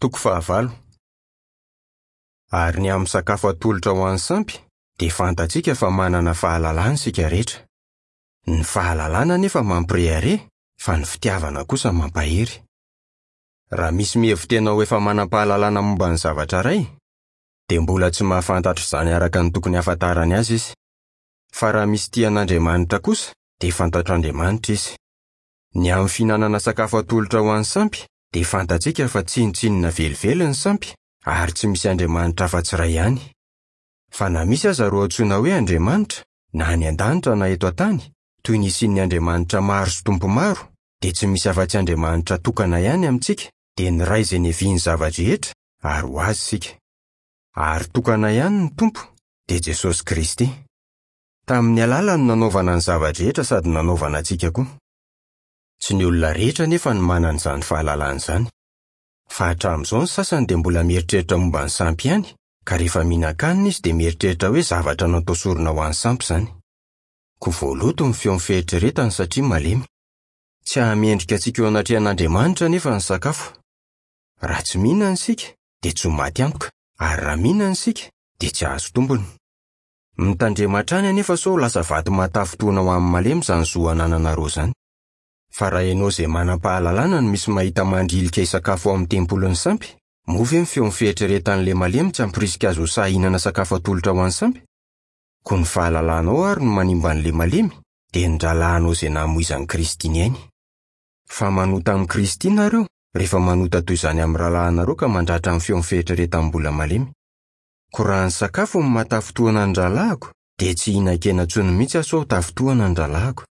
Toko fahavalo. Ary ny amin'ny sakafo atolotra ho an'ny sampy, dia fantatsika fa manana fahalalana isika rehetra. Ny fahalalana anefa mampirehareha, fa ny fitiavana kosa mampahery. Raha misy mihevi-tena ho efa manam-pahalalana momba ny zavatra iray, dia mbola tsy mahafantatra izany araka ny tokony hahafantarany azy izy. Fa raha misy tia an'Andriamanitra kosa, dia fantatr'Andriamanitra izy. Ny amin'ny fihinanana sakafo atolotra ho an'ny sampy, dia fantatsika fa tsinontsinona velively ny sampy, ary tsy misy Andriamanitra afa-tsy iray ihany. Fa na misy aza ireo antsoina hoe andriamanitra, na any an-danitra na eto an-tany, toy ny isian'ny andriamanitra maro sy tompo maro, dia tsy misy afa-tsy Andriamanitra tokana ihany amintsika, dia ny Ray izay niavian'ny zava-drehetra, ary ho Azy isika. Ary tokana ihany ny Tompo, dia Jesosy Kristy. Tamin'ny alalany no nanaovana ny zava-drehetra sady nanaovana antsika koa. Tsy ny olona rehetra anefa no manana izany fahalalana izany. Fa hatramin'izao ny sasany dia mbola mieritreritra momba ny sampy ihany, ka rehefa mihinan-kanina izy dia mieritreritra hoe zavatra natao sorona ho an'ny sampy izany. Koa voaloto ny feon'ny fieritreretany satria malemy. Tsy hahamendrika antsika eo anatrehan'Andriamanitra anefa ny sakafo. Raha tsy mihinana isika, dia tsy ho maty antoka, ary raha mihinana isika, dia tsy hahazo tombony. Mitandrema hatrany anefa sao lasa vato mahatafintohina ho an'ny malemy izany zo anananareo izany. Fa raha ianao izay manam-pahalalana no misy mahita mandrilika hisakafo ao amin'ny tempolin'ny sampy, moa ve ny feon'ny fieritreretan'ilay malemy tsy hampirisika azy ho sahy hihinana sakafo atolotra ho an'ny sampy? Koa ny fahalalanao àry no manimba an'ilay malemy, dia ny rahalahinao izay namoizan'i Kristy ny ainy. Fa manota amin'i Kristy nareo, rehefa manota toy izany amin'ny rahalahinareo ka mandratra ny feon'ny fieritreretan'ny mbola malemy. Koa raha ny sakafo no mahatafintohina ny rahalahiko, dia tsy hihinan-kena intsony mihitsy aho sao ho tafintohina ny rahalahiko.